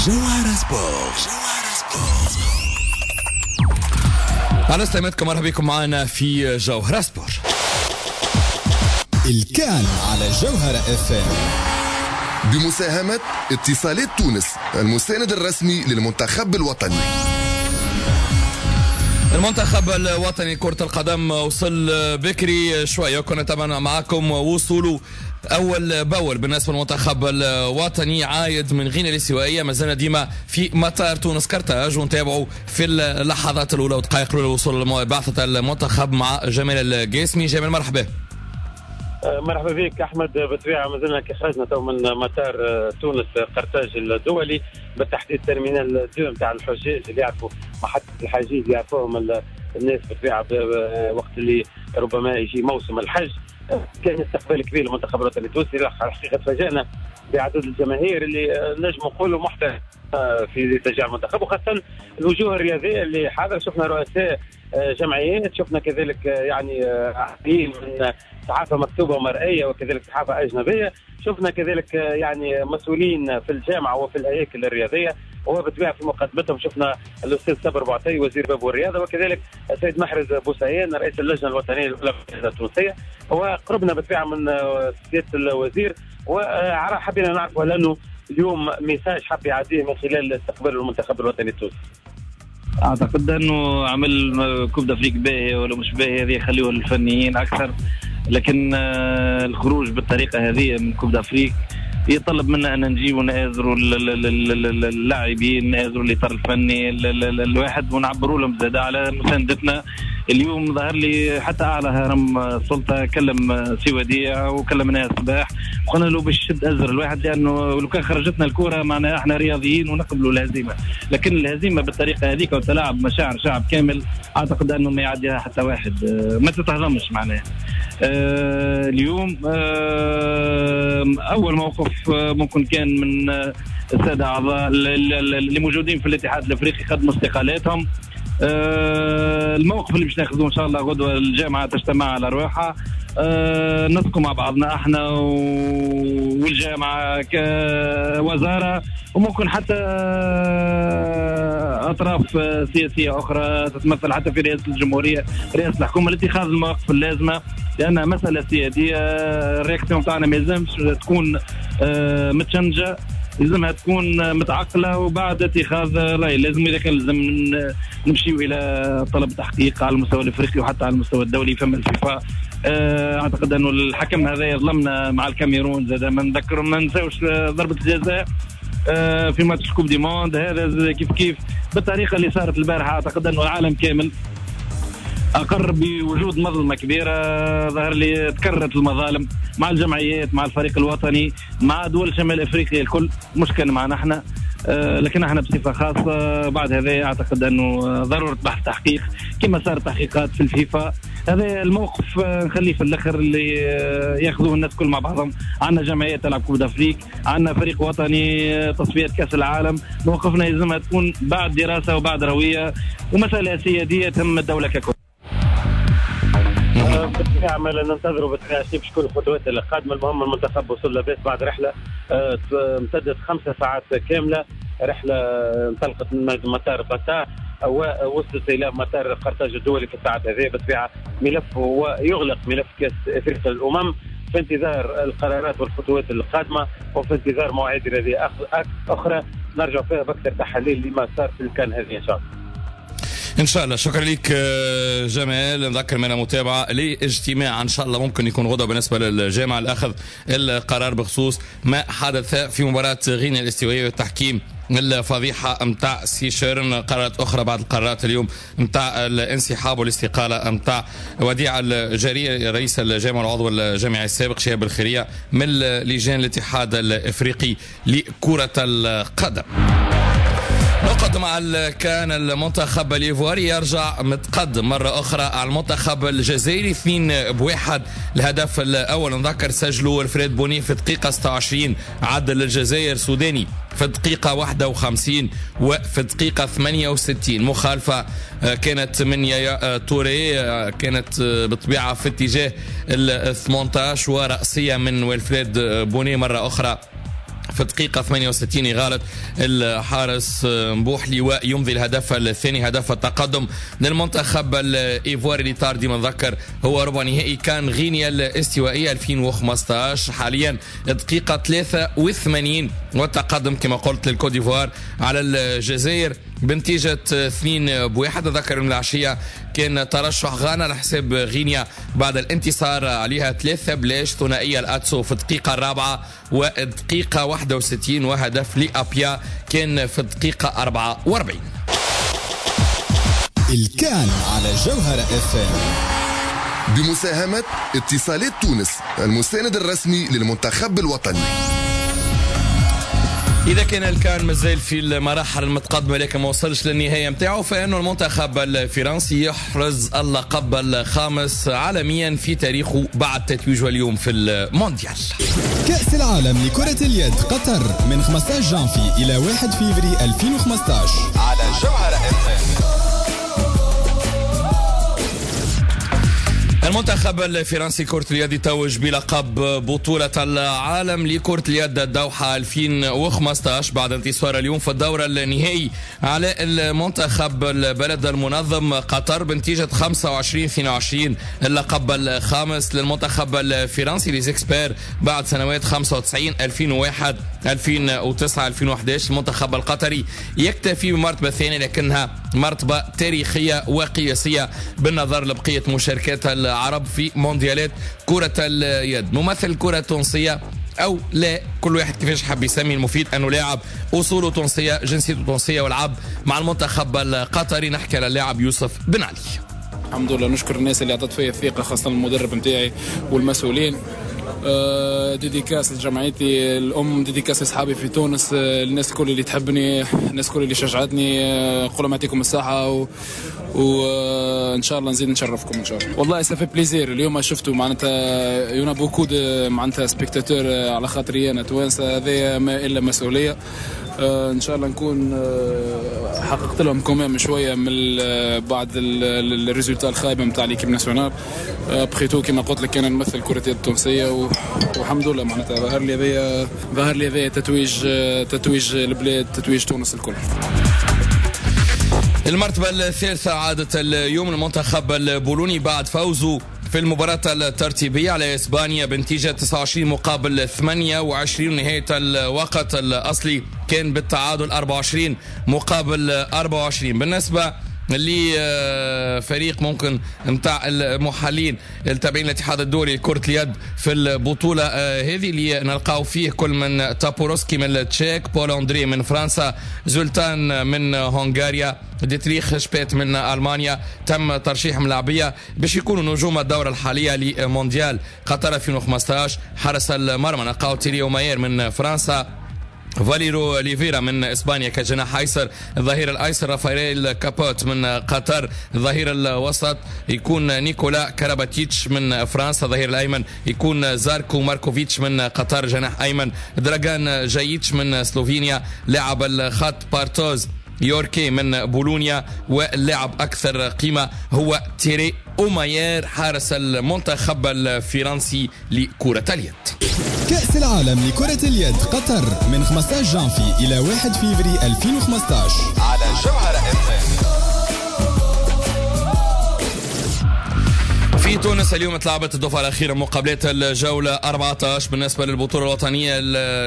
جوهرة سبور، جوهرة سبور. على سلامتكم، مرحبا بكم معنا في جوهرة سبور. الكان على جوهرة اف ام بمساهمة اتصالات تونس، المساند الرسمي للمنتخب الوطني. المنتخب الوطني كرة القدم وصل بكري شوية، كنا طبعا معكم وصوله اول باول. بالنسبة للمنتخب الوطني عايد من غينيا الاستوائيه، ما زلنا ديما في مطار تونس كرتاج ونتابعوا في اللحظات الاولى ودقائق الاولى وصول بعثه المنتخب مع جمال القاسمي. جمال مرحبا. مرحبا بك احمد. بالطبيعة ما زلنا كي خرجنا تو من مطار تونس قرطاج الدولي، بالتحديد terminal 2 نتاع الحجاج اللي يعرفوا محطة الحجيج، يعرفوهم الناس بالطبيعة وقت اللي ربما يجي موسم الحج. كان استقبال كبير للمنتخب الوطني التونسي. الحقيقة تفاجئنا بعدد الجماهير اللي نجم نقولوا محترم في تشجيع المنتخب، وخاصة الوجوه الرياضية اللي حاضره. شفنا رؤساء جمعيات، شفنا كذلك يعني عديد من صحافة مكتوبة ومرئيه وكذلك صحافة اجنبية، شفنا كذلك يعني مسؤولين في الجامعة وفي الهياكل الرياضية، وبالطبيعه في مقدمتهم شفنا الاستاذ صابر بوعطي وزير باب والرياضة، وكذلك السيد محرز بوسعيان رئيس اللجنة الوطنية للأولمبياد التونسية. وقربنا بالطبيعة من سيادة الوزير وحبينا نعرفوا لانه اليوم message حب يعديه من خلال استقبال المنتخب الوطني التونسي. اعتقد انه عمل Coupe d'Afrique باهي ولا مش باهي هذه يخليوه للفنيين اكثر، لكن الخروج بالطريقة هذه من Coupe d'Afrique يطلب منا ان نجيب ونآزروا اللاعبين، نآزروا الاطار الفني الواحد، ونعبروا لهم زاد على مساندتنا. اليوم ظهر لي حتى اعلى هرم السلطة كلم سي وديع وكلمنا الصباح وقلنا له باش يشد ازر الواحد، لانه لو كان خرجتنا الكره معناها احنا رياضيين ونقبلوا الهزيمة، لكن الهزيمة بالطريقة هذيك وتلاعب مشاعر شعب كامل اعتقد انه ما يعديها حتى واحد، ما تتهضمش معناها. اليوم اول موقف ممكن كان من السادة اعضاء اللي موجودين في الاتحاد الافريقي قدموا استقالاتهم. الموقف اللي باش ناخذوه ان شاء الله غدوه الجامعة تجتمع على رواحها، نسقوا مع بعضنا احنا والجامعة كوزارة، وممكن حتى اطراف سياسية اخرى تتمثل حتى في رئاسة الجمهورية، رئاسة الحكومة، لاتخاذ المواقف اللازمة، لانها مسالة سيادية. ال réaction تاعنا ما يلزمش تكون متشنجه، لازمها تكون متعقله وبعد اتخاذ راي. لازم اذا كان لازم نمشيو الى طلب تحقيق على المستوى الافريقي وحتى على المستوى الدولي فما الفيفا. اعتقد انه الحكم هذا يظلمنا مع الكاميرون زاد، ما نذكر ما نساوش ضربه الجزاء في match Coupe du monde، هذا كيف كيف بالطريقة اللي صارت البارحة. اعتقد انه العالم كامل اقر بوجود مظلمة كبيرة، ظهر لي تكررت المظالم مع الجمعيات، مع الفريق الوطني، مع دول شمال افريقيا الكل، مش كان معنا احنا، لكن احنا بصفة خاصة. بعد هذا اعتقد انه ضرورة بحث تحقيق كما صار تحقيقات في الفيفا. هذا الموقف نخليه في الاخر اللي ياخذوه الناس كل مع بعضهم. عندنا جمعية تلعب Coupe d'Afrique، عندنا فريق وطني تصفيات كاس العالم، موقفنا يلزمها تكون بعد دراسة وبعد روية ومسالة سيادية تهم الدولة ككل. بالطبيعة ما ننتظروا بالطبيعة باش تكون الخطوات القادمة. المهم المنتخب وصل لاباس بعد رحله امتدت 5 ساعات كاملة، رحله انطلقت من مطار بطا ووصلت الى مطار قرطاج الدولي في الساعات هذه. بالطبيعة ملف ويغلق ملف كاس افريقيا للامم في انتظار القرارات والخطوات القادمة، وفي انتظار مواعيد رياضية اخرى نرجع فيها باكثر تحاليل لما صار في الكان هذه ان شاء الله. ان شاء الله. شكرا لك جمال. نذكر من متابعه لاجتماع ان شاء الله ممكن يكون غدا بالنسبة للجامعة لاخذ القرار بخصوص ما حدث في مباراة غينيا الاستوائيه والتحكيم الفضيحة نتاع سيشيرن. قرارات اخرى بعد القرارات اليوم نتاع الانسحاب والاستقاله نتاع وديع الجريء رئيس الجامعة والعضو الجامعي السابق شهاب الخيرية من لجان الاتحاد الافريقي لكرة القدم. نقد مع كان المنتخب الايفواري يرجع متقدم مرة أخرى على المنتخب الجزائري 2-1. الهدف الأول نذكر سجله الفريد بوني في الدقيقة 26، عدل الجزائر سوداني في الدقيقة 51 وفي الدقيقة 68. مخالفة كانت من يايا توري، كانت بالطبيعة في اتجاه ال 18، ورأسية من ويلفريد بوني مرة أخرى في الدقيقة 68 يغالط الحارس مبوحلي ويمضي الهدف الثاني، هدف التقدم للمنتخب الإيفواري اللي طار ديما نذكر هو ربع نهائي كان غينيا الاستوائية 2015. حاليا الدقيقة 83 والتقدم كما قلت للكوت ديفوار على الجزائر بنتيجة 2-1. أذكر من العشية كان ترشح غانا على حساب غينيا بعد الانتصار عليها 3-0، ثنائية الأتسو في الدقيقة 4 والدقيقة 61، وهدف لأبيا كان في الدقيقة 44. الكان على جوهرة FM بمساهمة اتصالات تونس المساند الرسمي للمنتخب الوطني. إذا كان الكان مازال في المراحل المتقدمة لكن ما وصلش للنهاية متاعه، فإنه المنتخب الفرنسي يحرز اللقب الخامس عالميا في تاريخه بعد تتويجه اليوم في المونديال. كأس العالم لكرة اليد قطر من 15 جانفي إلى 1 فيفري 2015 على جوهرة FM. المنتخب الفرنسي كرة اليد يتوج بلقب بطولة العالم لكرة اليد الدوحة 2015 بعد انتصار اليوم في الدور النهائي على المنتخب البلد المنظم قطر بنتيجة 25-22. اللقب الخامس للمنتخب الفرنسي les experts بعد سنوات 95 2001 2009 2011. المنتخب القطري يكتفي بمرتبة ثانية لكنها مرتبة تاريخية وقياسية بالنظر لبقية مشاركات العرب في مونديالات كرة اليد. ممثل الكرة التونسية أو لا، كل واحد كيفاش حاب يسمي، المفيد أنه لاعب أصوله تونسية، جنسيته تونسية، ولعب مع المنتخب القطري. نحكي على اللاعب يوسف بن علي. الحمد لله نشكر الناس اللي اعطت فيا الثقة، خاصة المدرب نتاعي والمسؤولين. dédicace لجمعيتي الام، dédicace لاصحابي في تونس، الناس الكل اللي تحبني، الناس الكل اللي شجعتني، نقول لهم يعطيكم الصحة وان شاء الله نزيد نشرفكم ان شاء الله. والله ça fait plaisir اليوم شفتوا معناتها il y en a beaucoup معناتها spectateurs على خاطري انا توانسة، هذا ما الا مسؤولية. ان شاء الله نكون حققت لهم quand même شوية من بعد ال résultat الخايبة نتاع l'équipe nationale. après tout كما قلت لك انا نمثل كره اليد التونسية والحمد لله معناتها ظهر لي هذايا تتويج البلاد، تتويج تونس الكل. المرتبة الثالثة عادت اليوم المنتخب البولوني بعد فوزه في المباراة الترتيبية على إسبانيا بنتيجة 29 مقابل 28. نهاية الوقت الأصلي كان بالتعادل 24 مقابل 24. بالنسبة لفريق ممكن نتاع المحلين التابعين للاتحاد الدولي لكرة اليد في البطولة هذه اللي نلقاو فيه كل من تابوروسكي من التشيك، بول أندري من فرنسا، زولتان من هنغاريا، ديتريخ شبيت من ألمانيا. تم ترشيح ملاعبية باش يكونوا نجوم الدورة الحالية لمونديال قطر 2015. حرس المرمى نلقاو تيري أوماير من فرنسا، فاليرو ليفيرا من اسبانيا كجناح ايسر، الظهير الايسر رافائيل كابوت من قطر، الظهير الوسط يكون نيكولا كاراباتيتش من فرنسا، الظهير الايمن يكون زاركو ماركوفيتش من قطر، جناح ايمن دراغان جايتش من سلوفينيا، لاعب الخط بارتوز يوركي من بولونيا، واللاعب اكثر قيمة هو تيري أوماير حارس المنتخب الفرنسي لكرة اليد. كأس العالم لكرة اليد قطر من 15 جانفي إلى 1 فيفري 2015 على جوهرة FM. في تونس اليوم تلعبت الدفعة الأخيرة مقابلات الجولة 14 بالنسبة للبطولة الوطنية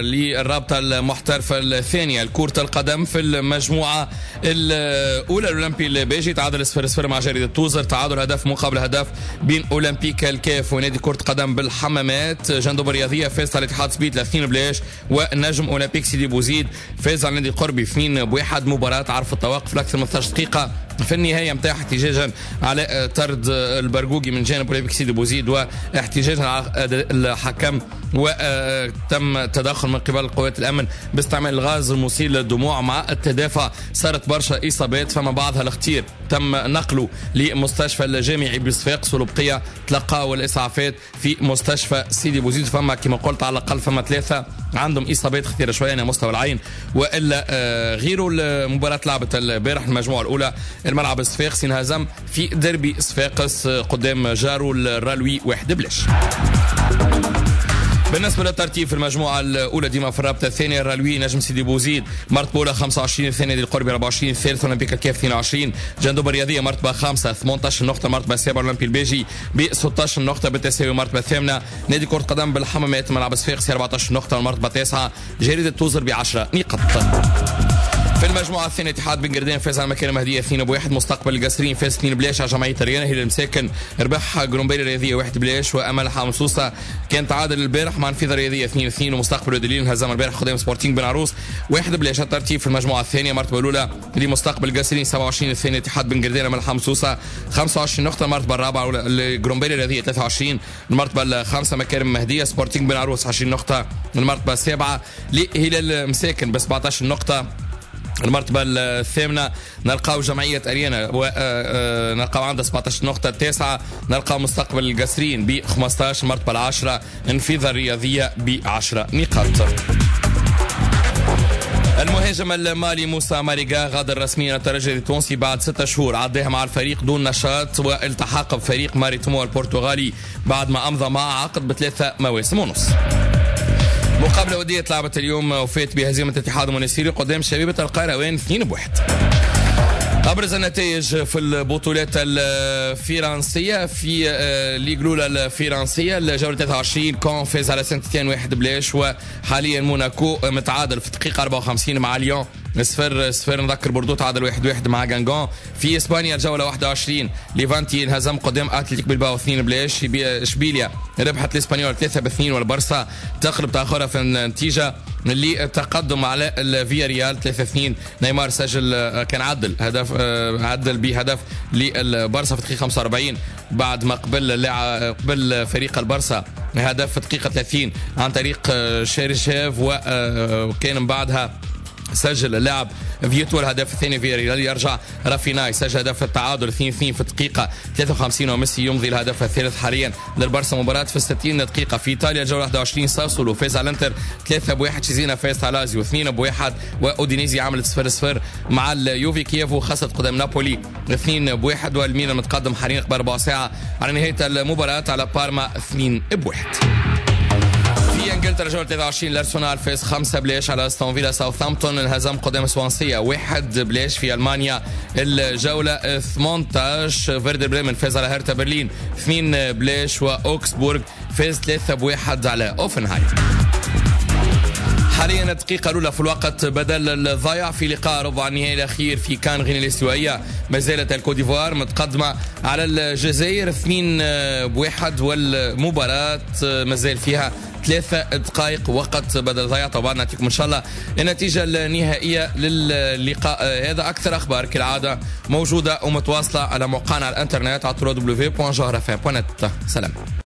للرابطة المحترفة الثانية لكرة القدم. في المجموعة الأولى الأولمبي الباجي تعادل 0-0 مع جريدة توزر، تعادل هدف مقابل هدف بين أولمبيك الكاف ونادي كرة قدم بالحمامات. جندوب الرياضية فاز على الاتحاد سبيت 2-0، ونجم أولمبيك سيدي بوزيد فاز على نادي قربي 2-1. مباراة عرف التوقف لأكثر من 12 دقيقة في النهاية متاع احتجاجا على طرد البرقوقي من جانب أولمبيك سيدي بوزيد واحتجاجا على الحكم، وتم تدخل من قبل قوات الامن باستعمال الغاز المسيل للدموع. مع التدافع صارت برشا اصابات، فما بعضها الخطير تم نقله لمستشفى الجامعي بصفاقس، والبقية تلقاوا الاسعافات في مستشفى سيدي بوزيد. فما كما قلت على الاقل فما 3 عندهم اصابات خطيرة شوية على مستوى العين والا غيره. المباراة لعبت البارح المجموعة الاولى الملعب الصفاقسي انهزم في ديربي صفاقس قدام جارو الرالوي 1-0. بالنسبة للترتيب في المجموعة الاولى ديما في الرابطة الثانية، الرالوي نجم سيدي بوزيد مرتبه اولى 25، الثانية دي القربي 24، الثالث اولمبيك الكاف 22، جندوب الرياضية مرتبه 5 18 نقطة، مرتبه 7 اولمبي الباجي ب 16 نقطة بالتساوي، مرتبه الثامنة نادي كره قدم بالحمامات ملعب صفاقسي 14 نقطة، والمرتبة التاسعة جريدة توزر ب 10 نقاط. في المجموعة الثانية اتحاد بن قردان فاز على مكان مهديه 2-1، مستقبل القصرين فاز 2-0 على جمعية ريانه، هلال المساكن ربح قرنبيل الرياضية 1-0، وامل حمصوصه كان تعادل البارح مع نفيذه الرياضية 2-2، ومستقبل ودليل انهزم البارح قدام سبورتينغ بن عروس 1-0. الترتيب في المجموعة الثانية المرتبة الاولى لمستقبل القصرين 27، الثانية اتحاد بن قردان امل حمصوصه 25 نقطة، المرتبة الرابعة لقرنبيل الرياضية 23، المرتبة الخامسة مكارم مهديه سبورتينغ بن عروس 20 نقطة، المرتبة السابعة لهلال مساكن ب 17 نقطة، المرتبة الثامنة نلقاو جمعية أريانا ونلقاو عندها 17 نقطة، التاسعة نلقاو مستقبل القصرين ب 15، المرتبة العاشرة انفيذة الرياضية ب 10 نقاط. المهاجم المالي موسى ماريغا غادر رسميا الترجي التونسي بعد 6 شهور عداها مع الفريق دون نشاط، والتحق بفريق ماريتمو البرتغالي بعد ما أمضى معه عقد ب3 مواسم ونص. مقابلة ودية لعبت اليوم وفات بهزيمة اتحاد المنستيري قدام شبيبة القيروان 2-1. أبرز النتائج في البطولات الفرنسية في ligue الأولى الفرنسية الجولة 23 كون فاز على سانت تيان 1-0، وحاليا موناكو متعادل في الدقيقة 54 مع ليون 0-0. نذكر بوردو تعادل 1-1 مع غانغون. في اسبانيا الجولة 21 ليفانتي انهزم قدام اتلتيك بلباو 2-0، اشبيليا ربحت الاسبانيول 3-2، والبرسا تقلب تاخرها في النتيجة للتقدم على الفيا ريال 3-2. نيمار سجل كان عدل هدف، عدل بهدف للبرسا في الدقيقة 45 بعد ما قبل قبل فريق البرسا هدف في الدقيقة 30 عن طريق شيرشيف، وكان من بعدها سجل اللاعب فيتو الهدف الثاني في ريال. يرجع رافينا يسجل هدف التعادل 2-2 في الدقيقة 53، وميسي يمضي الهدف الثالث حاليا للبرسا مباراة في 60 دقيقة. في إيطاليا الجولة 21 ساسولو فاز على الانتر 3-1، تشيزينا فاز على لازيو 2-1، وأودينيزي عملت 0-0 مع اليوفي. كييفو خسرت قدام نابولي 2-1، والميلان متقدم حاليا قبل ربع ساعة على نهاية المباراة على بارما 2-1. في انجلترا جولة 23 الارسنال فاز 5-0 على استون فيلا. ساوثهامبتون انهزم قدام سوانسيا 1-0. في المانيا الجولة 18 فيردر بريمن فاز على هرتا برلين 2-0، واوكسبورغ فاز 3-1 على اوفنهايم. حاليا الدقيقة الأولى في الوقت بدل الضايع في لقاء ربع النهائي الأخير في كان غينيا الاستوائية، ما زالت الكوت ديفوار متقدمة على الجزائر 2-1، والمباراة ما زال فيها 3 دقائق وقت بدل ضيع. طبعا نعطيكم ان شاء الله النتيجة النهائية للقاء هذا. اكثر اخبار كالعادة موجودة ومتواصله على موقعنا على الانترنت على www.jawharafm.net. سلام.